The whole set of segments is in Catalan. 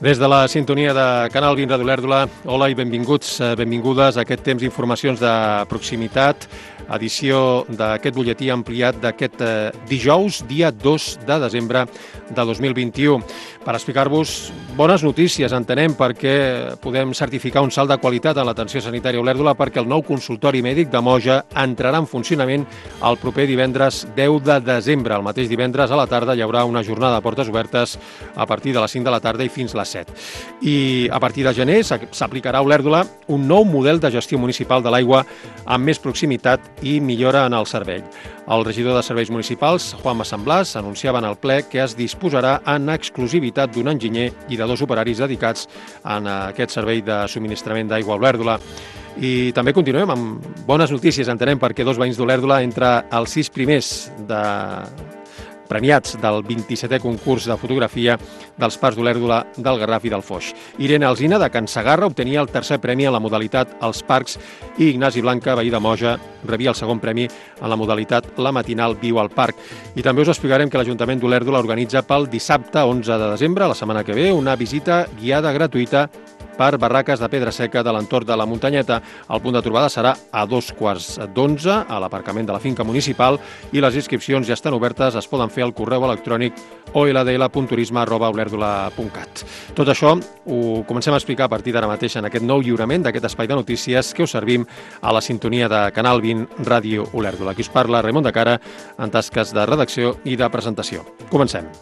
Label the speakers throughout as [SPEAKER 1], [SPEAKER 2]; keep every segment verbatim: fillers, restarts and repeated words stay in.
[SPEAKER 1] Des de la sintonia de Canal vint Ràdio Olèrdola, hola i benvinguts, benvingudes a aquest temps d'informacions de proximitat, edició d'aquest butlletí ampliat d'aquest dijous, dia dos de desembre de dos mil vint-i-u. Per explicar-vos bones notícies, entenem, perquè podem certificar un salt de qualitat en l'atenció sanitària a Olèrdola, perquè el nou consultori mèdic de Moja entrarà en funcionament el proper divendres deu de desembre. El mateix divendres a la tarda hi haurà una jornada de portes obertes a partir de les cinc de la tarda i fins les set. I a partir de gener s'aplicarà a Olèrdola un nou model de gestió municipal de l'aigua amb més proximitat i millora en el servei. El regidor de Serveis Municipals, Juanma Samblas, anunciava en el ple que es disposarà en exclusivitat d'un enginyer i de dos operaris dedicats en aquest servei de subministrament d'aigua a Olèrdola. I també continuem amb bones notícies, entenem, perquè dos veïns d'Olèrdola entre els sis primers de premiats del vint-i-setè concurs de fotografia dels Parcs d'Olèrdola, del Garraf i del Foix. Irene Alsina, de Can Segarra, obtenia el tercer premi en la modalitat als parcs i Ignasi Blanca, veí de Moja, rebia el segon premi en la modalitat La matinal viu al parc. I també us explicarem que l'Ajuntament d'Olèrdola organitza pel dissabte onze de desembre, la setmana que ve, una visita guiada gratuïta per barraques de pedra seca de l'entorn de la muntanyeta. El punt de trobada serà a dos quarts d'onze a l'aparcament de la finca municipal i les inscripcions ja estan obertes, es poden fer al correu electrònic o l d l punt turisme arroba olèrdola punt cat. Tot això ho comencem a explicar a partir d'ara mateix en aquest nou lliurament d'aquest espai de notícies que us servim a la sintonia de Canal vint Ràdio Olèrdola. Aquí us parla Raimon de Cara en tasques de redacció i de presentació. Comencem.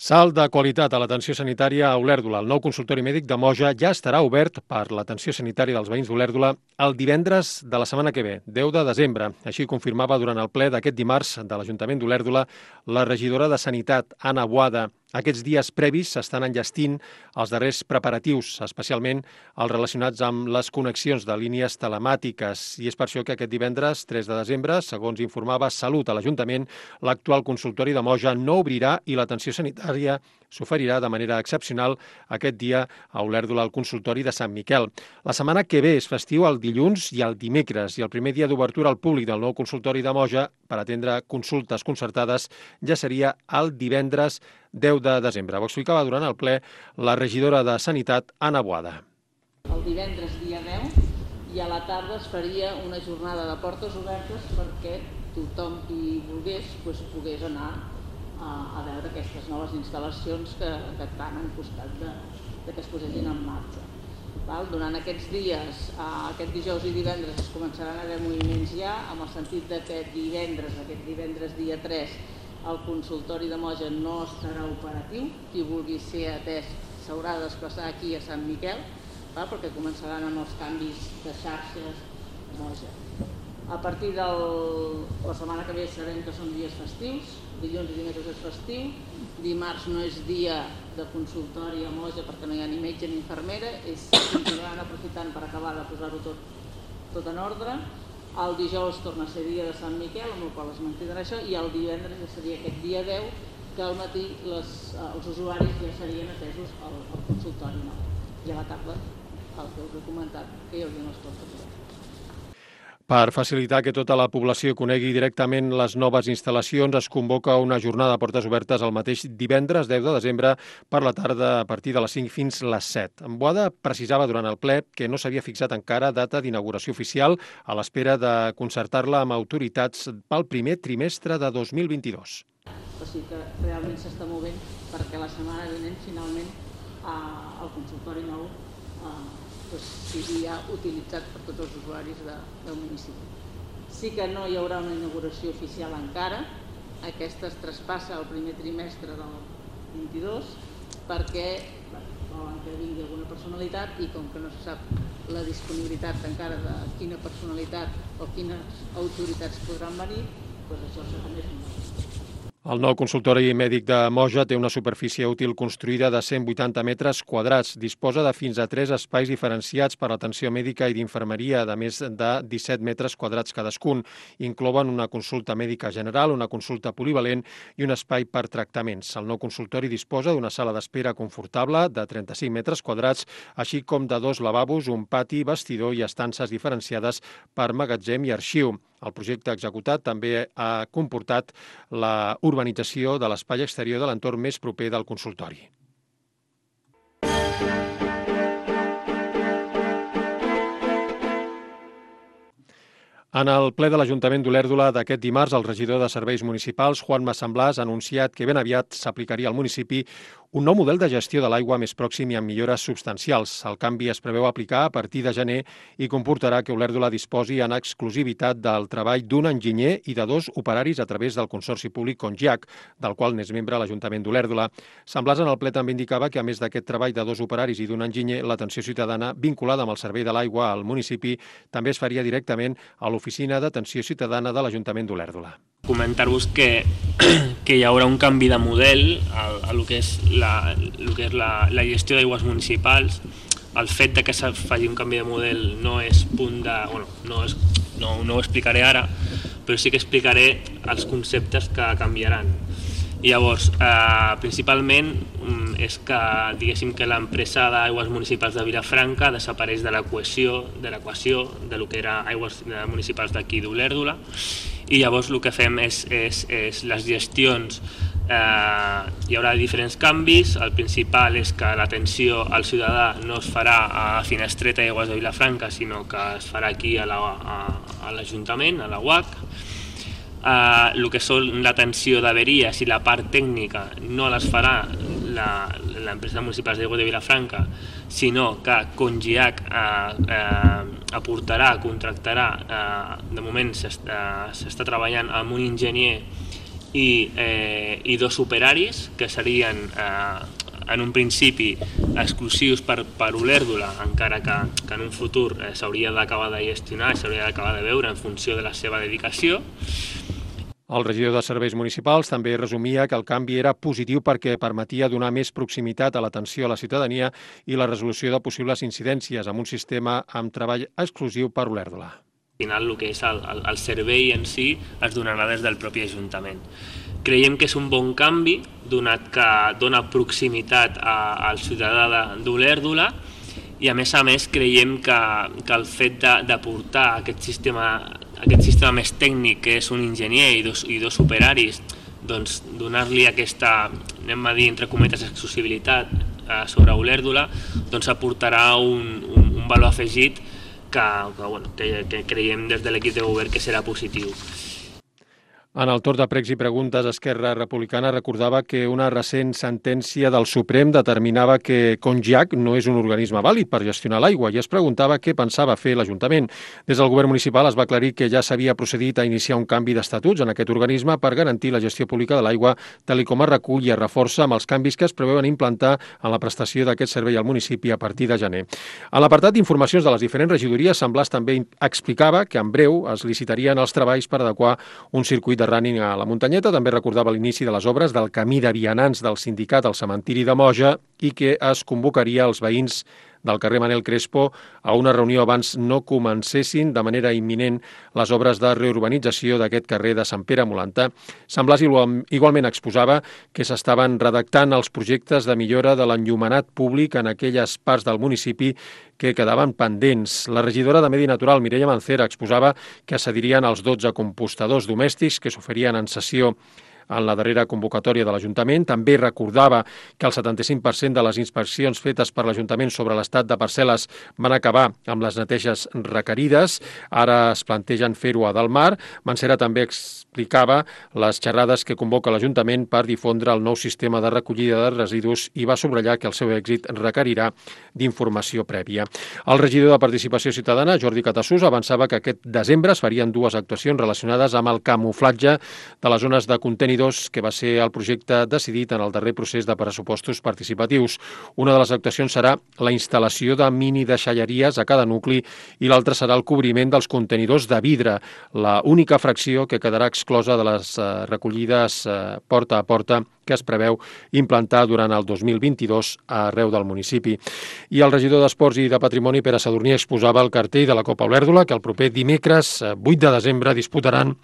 [SPEAKER 1] Salt de qualitat a l'atenció sanitària a Olèrdola. El nou consultori mèdic de Moja ja estarà obert per l'atenció sanitària dels veïns d'Olèrdola el divendres de la setmana que ve, deu de desembre. Així confirmava durant el ple d'aquest dimarts de l'Ajuntament d'Olèrdola la regidora de Sanitat, Anna Boada. Aquests dies previs s'estan enllestint els darrers preparatius, especialment els relacionats amb les connexions de línies telemàtiques. I és per això que aquest divendres, tres de desembre, segons informava Salut a l'Ajuntament, l'actual consultori de Moja no obrirà i l'atenció sanitària s'oferirà de manera excepcional aquest dia a Olèrdola al consultori de Sant Miquel. La setmana que ve és festiu el dilluns i el dimecres i el primer dia d'obertura al públic del nou consultori de Moja per atendre consultes concertades ja seria el divendres deu de desembre. Ho explicava durant el ple la regidora de Sanitat, Anna Boada.
[SPEAKER 2] El divendres dia deu i a la tarda es faria una jornada de portes obertes perquè tothom qui volgués pues, pogués anar a, a veure aquestes noves instal·lacions que, que tant han costat de, de que es posessin en marxa. Val? Durant aquests dies, aquest dijous i divendres es començaran a haver moviments ja, amb el sentit de que divendres, aquest divendres dia tres, el consultori de Moja no estarà operatiu. Qui vulgui ser atès s'haurà de desplaçar aquí a Sant Miquel, val? Perquè començaran amb els canvis de xarxes Moja. A partir de la setmana que ve sabem que són dies festius, dilluns i dimecres és festiu, dimarts no és dia de consultori a Moja perquè no hi ha ni metge ni infermera, és continuaran aprofitant per acabar de posar-ho tot, tot en ordre. El dijous torna a ser dia de Sant Miquel, amb el qual es mantindrà això, i el divendres ja seria aquest dia deu, que al matí les, els usuaris ja serien atesos al, al consultori nou. I a la tarda, el que us he comentat, que hi haurien les portes obertes.
[SPEAKER 1] Per facilitar que tota la població conegui directament les noves instal·lacions, es convoca una jornada de portes obertes el mateix divendres deu de desembre per la tarda a partir de les cinc fins les set. En Boada precisava durant el ple que no s'havia fixat encara data d'inauguració oficial a l'espera de concertar-la amb autoritats pel primer trimestre de dos mil vint-i-dos.
[SPEAKER 2] O sigui que realment s'està movent perquè la setmana vinent finalment eh, el consultori nou eh, doncs, sigui ja utilitzat per tots els usuaris de, del municipi. Sí que no hi haurà una inauguració oficial encara, aquesta es traspassa al primer trimestre del vint-i-dos perquè volen que vingui alguna personalitat i com que no se sap la disponibilitat encara de quina personalitat o quines autoritats podran venir, doncs això serà més un.
[SPEAKER 1] El nou consultori mèdic de Moja té una superfície útil construïda de cent vuitanta metres quadrats. Disposa de fins a tres espais diferenciats per a atenció mèdica i d'infermeria, de més de disset metres quadrats cadascun. Inclouen una consulta mèdica general, una consulta polivalent i un espai per tractaments. El nou consultori disposa d'una sala d'espera confortable de trenta-cinc metres quadrats, així com de dos lavabos, un pati, vestidor i estances diferenciades per magatzem i arxiu. El projecte executat també ha comportat la urbanització de l'espai exterior de l'entorn més proper del consultori. En el ple de l'Ajuntament d'Olèrdola d'aquest dimarts, el regidor de Serveis Municipals, Juan Massamblàs, ha anunciat que ben aviat s'aplicaria al municipi un nou model de gestió de l'aigua més pròxim i amb millores substancials. El canvi es preveu aplicar a partir de gener i comportarà que Olèrdola disposi en exclusivitat del treball d'un enginyer i de dos operaris a través del Consorci Públic Congiac, del qual n'és membre l'Ajuntament d'Olèrdola. Samblàs en el ple també indicava que, a més d'aquest treball de dos operaris i d'un enginyer, l'atenció ciutadana vinculada amb el servei de l'aigua al municipi també es faria directament a l'Oficina d'Atenció Ciutadana de l'Ajuntament d'Olèrdola.
[SPEAKER 3] Comentar-vos que, que hi haurà un canvi de model a, a lo que és la, lo que és la, la gestió d'aigües municipals. El fet de que se faci un canvi de model no és punt de... Bueno, no, és, no, no ho explicaré ara, però sí que explicaré els conceptes que canviaran. I llavors, eh, principalment és que, diguéssim, que l'empresa d'aigües municipals de Vilafranca desapareix de l'equació de l'equació de lo que era aigües municipals d'aquí d'Olèrdola, i llavors el que fem és, és, és les gestions. Eh, hi haurà diferents canvis. El principal és que l'atenció al ciutadà no es farà a Finestreta i Aigües de Vilafranca, sinó que es farà aquí a l'Ajuntament, a, a la U A C. Uh, el que són l'atenció d'averies i la part tècnica no les farà l'empresa municipal d'aigua de Vilafranca, sinó que Congiac uh, uh, aportarà, contractarà, uh, de moment s'està uh, treballant amb un enginyer i, eh, i dos operaris que serien uh, en un principi exclusius per, per Olèrdola, encara que, que en un futur eh, s'hauria d'acabar de gestionar, s'hauria d'acabar de veure en funció de la seva dedicació.
[SPEAKER 1] El regidor de Serveis Municipals també resumia que el canvi era positiu perquè permetia donar més proximitat a l'atenció a la ciutadania i la resolució de possibles incidències amb un sistema amb treball exclusiu per Olèrdola.
[SPEAKER 3] Al final, el que és el, el, el servei en si es donarà des del propi Ajuntament. Creiem que és un bon canvi, donat que dona proximitat a, al ciutadà d'Olèrdola, i a més a més creiem que, que el fet d'aportar aquest sistema, aquest sistema més tècnic, que és un enginyer i dos, i dos operaris, doncs donar-li aquesta, anem a dir, entre cometes, exclusibilitat eh, sobre Olèrdola, doncs aportarà un, un, un valor afegit que, que, bueno, que, que creiem des de l'equip de govern que serà positiu.
[SPEAKER 1] En el torn de pregs i preguntes, Esquerra Republicana recordava que una recent sentència del Suprem determinava que Congiac no és un organisme vàlid per gestionar l'aigua i es preguntava què pensava fer l'Ajuntament. Des del govern municipal es va aclarir que ja s'havia procedit a iniciar un canvi d'estatuts en aquest organisme per garantir la gestió pública de l'aigua, tal com es recull i es reforça amb els canvis que es preveuen implantar en la prestació d'aquest servei al municipi a partir de gener. En l'apartat d'informacions de les diferents regidories, Samblàs també explicava que en breu es licitarien els treballs per adequar un circuit de de running a la muntanyeta. També recordava l'inici de les obres del camí de vianants del sindicat al cementiri de Moja i que es convocaria els veïns del carrer Manel Crespo a una reunió abans no comencessin de manera imminent les obres de reurbanització d'aquest carrer de Sant Pere Molanta. Samblàs igualment exposava que s'estaven redactant els projectes de millora de l'enllumenat públic en aquelles parts del municipi que quedaven pendents. La regidora de Medi Natural, Mireia Mancera, exposava que cedirien els dotze compostadors domèstics que s'oferien en sessió en la darrera convocatòria de l'Ajuntament. També recordava que el setanta-cinc per cent de les inspeccions fetes per l'Ajuntament sobre l'estat de parcel·les van acabar amb les neteges requerides. Ara es plantegen fer-ho a Dalmar. Mancera també explicava les xerrades que convoca l'Ajuntament per difondre el nou sistema de recollida de residus i va subratllar que el seu èxit requerirà d'informació prèvia. El regidor de Participació Ciutadana, Jordi Catassús, avançava que aquest desembre es farien dues actuacions relacionades amb el camuflatge de les zones de conteni contenidors, que va ser el projecte decidit en el darrer procés de pressupostos participatius. Una de les actuacions serà la instal·lació de mini deixalleries a cada nucli i l'altra serà el cobriment dels contenidors de vidre, la única fracció que quedarà exclosa de les eh, recollides eh, porta a porta que es preveu implantar durant el dos mil vint-i-dos arreu del municipi. I el regidor d'Esports i de Patrimoni, Pere Sadurní, exposava el cartell de la Copa Olèrdola, que el proper dimecres, vuit de desembre, disputaran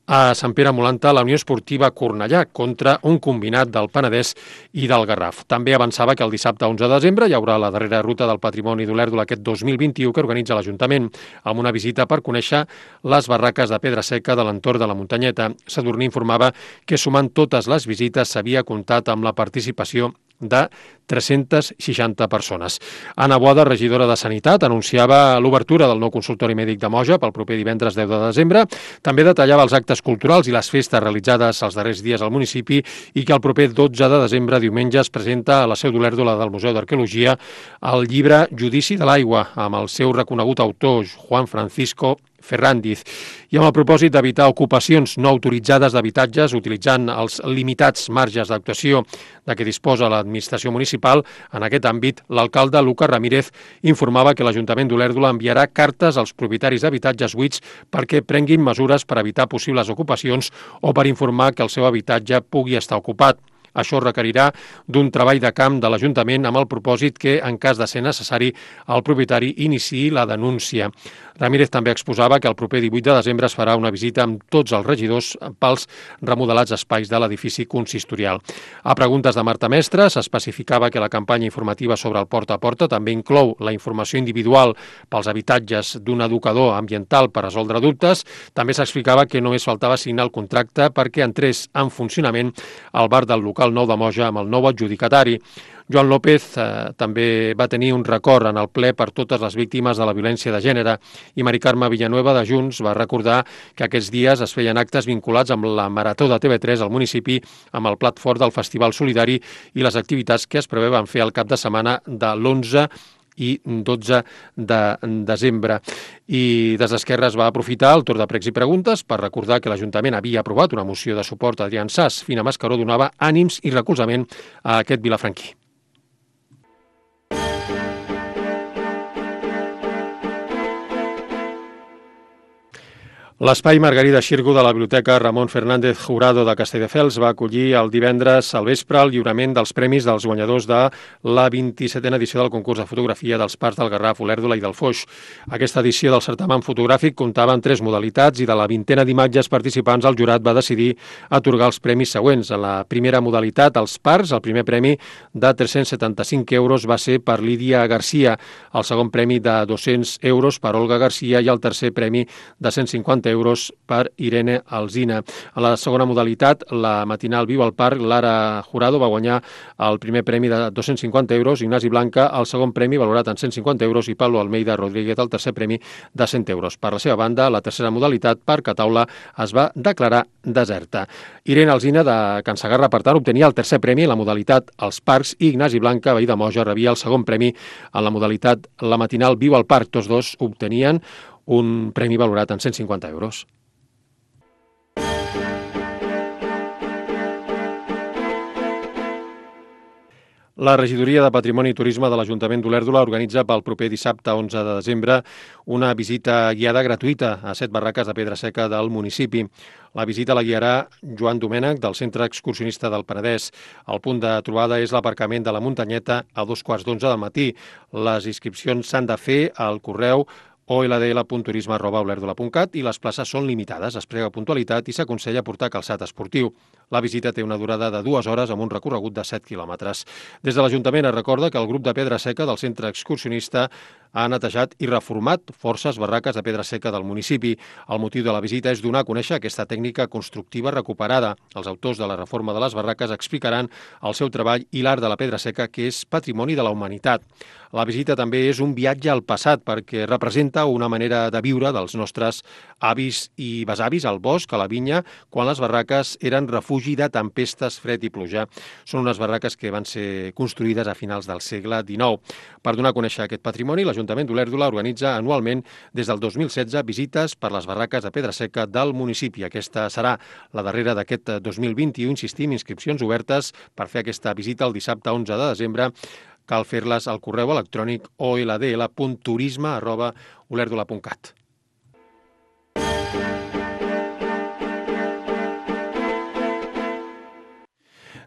[SPEAKER 1] a Sant Pere Molanta la Unió Esportiva Cornellà contra un combinat del Penedès i del Garraf. També avançava que el dissabte onze de desembre hi haurà la darrera ruta del Patrimoni d'Olèrdola aquest dos mil vint-i-u que organitza l'Ajuntament, amb una visita per conèixer les barraques de pedra seca de l'entorn de la muntanyeta. Sadurní informava que sumant totes les visites s'havia comptat amb la participació de tres-centes seixanta persones. Anna Boada, regidora de Sanitat, anunciava l'obertura del nou consultori mèdic de Moja pel proper divendres deu de desembre. També detallava els actes culturals i les festes realitzades els darrers dies al municipi i que el proper dotze de desembre, diumenge, es presenta a la seu d'Olèrdola del Museu d'Arqueologia el llibre Judici de l'aigua, amb el seu reconegut autor, Juan Francisco Ferrandiz, i amb el propòsit d'evitar ocupacions no autoritzades d'habitatges utilitzant els limitats marges d'actuació de què disposa l'administració municipal. En aquest àmbit, l'alcalde Lucas Ramírez informava que l'Ajuntament d'Olèrdola enviarà cartes als propietaris d'habitatges buits perquè prenguin mesures per evitar possibles ocupacions o per informar que el seu habitatge pugui estar ocupat. Això requerirà d'un treball de camp de l'Ajuntament amb el propòsit que, en cas de ser necessari, el propietari iniciï la denúncia. Ramírez també exposava que el proper divuit de desembre es farà una visita amb tots els regidors pels remodelats espais de l'edifici consistorial. A preguntes de Marta Mestre s'especificava que la campanya informativa sobre el porta a porta també inclou la informació individual pels habitatges d'un educador ambiental per resoldre dubtes. També s'explicava que només faltava signar el contracte perquè entrés en funcionament el bar del local nou de Moja amb el nou adjudicatari. Joan López eh, també va tenir un record en el ple per totes les víctimes de la violència de gènere i Mari Carme Villanueva de Junts va recordar que aquests dies es feien actes vinculats amb la Marató de T V tres al municipi amb el plat fort del Festival Solidari i les activitats que es preveuen fer al cap de setmana de l'onze i dotze de desembre. I des d'Esquerra es va aprofitar el torn de pregs i preguntes per recordar que l'Ajuntament havia aprovat una moció de suport a Adrián Sas. Fina Mascaró donava ànims i recolzament a aquest vilafranquí. L'espai Margarida Xirgu de la Biblioteca Ramon Fernández Jurado de Castelldefels va acollir el divendres al vespre el lliurament dels premis dels guanyadors de la vint-i-setena edició del concurs de fotografia dels Parcs del Garraf, Olèrdola i del Foix. Aquesta edició del certamen fotogràfic comptava en tres modalitats i de la vintena d'imatges participants el jurat va decidir atorgar els premis següents. En la primera modalitat, els Parcs, el primer premi de tres-cents setanta-cinc euros va ser per Lídia Garcia, el segon premi de dos-cents euros per Olga Garcia i el tercer premi de cent cinquanta euros per Irene Alsina. A la segona modalitat, la matinal Viu al Parc, Lara Jurado va guanyar el primer premi de dos-cents cinquanta euros, Ignasi Blanca el segon premi valorat en cent cinquanta euros i Pablo Almeida Rodríguez el tercer premi de cent euros. Per la seva banda, la tercera modalitat, Parc a Taula, es va declarar deserta. Irene Alsina de Can Segarra, per tant, obtenia el tercer premi en la modalitat Els Parcs i Ignasi Blanca, veí de Moja, rebia el segon premi en la modalitat La matinal Viu al Parc. Tots dos obtenien un premi valorat en cent cinquanta euros. La Regidoria de Patrimoni i Turisme de l'Ajuntament d'Olèrdola organitza pel proper dissabte onze de desembre una visita guiada gratuïta a set barraques de pedra seca del municipi. La visita la guiarà Joan Domènech del Centre Excursionista del Penedès. El punt de trobada és l'aparcament de la Muntanyeta a dos quarts d'onze del matí. Les inscripcions s'han de fer al correu o l d l punt turisme arroba olèrdola punt cat i les places són limitades. Es prega puntualitat i s'aconsella portar calçat esportiu. La visita té una durada de dues hores amb un recorregut de set quilòmetres. Des de l'Ajuntament es recorda que el grup de pedra seca del Centre Excursionista ha netejat i reformat forces barraques de pedra seca del municipi. El motiu de la visita és donar a conèixer aquesta tècnica constructiva recuperada. Els autors de la reforma de les barraques explicaran el seu treball i l'art de la pedra seca, que és patrimoni de la humanitat. La visita també és un viatge al passat perquè representa una manera de viure dels nostres avis i besavis al bosc, a la vinya, quan les barraques eren refugi de tempestes, fred i pluja. Són unes barraques que van ser construïdes a finals del segle dinou. Per donar a conèixer aquest patrimoni, l'Ajuntament l'Ajuntament d'Olèrdola organitza anualment des del dos mil setze visites per les barraques de pedra seca del municipi. Aquesta serà la darrera d'aquest dos mil vint-i-u, insistim, inscripcions obertes per fer aquesta visita el dissabte onze de desembre. Cal fer-les al correu electrònic o l d l punt turisme arroba olèrdola punt cat.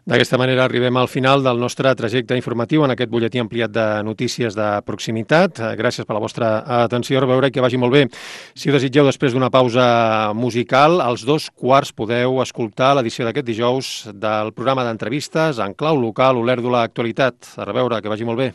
[SPEAKER 1] D'aquesta manera arribem al final del nostre trajecte informatiu en aquest butlletí ampliat de notícies de proximitat. Gràcies per la vostra atenció, a veure que vagi molt bé. Si ho desitgeu, després d'una pausa musical, als dos quarts podeu escoltar l'edició d'aquest dijous del programa d'entrevistes en clau local Olèrdola Actualitat. A veure, que vagi molt bé.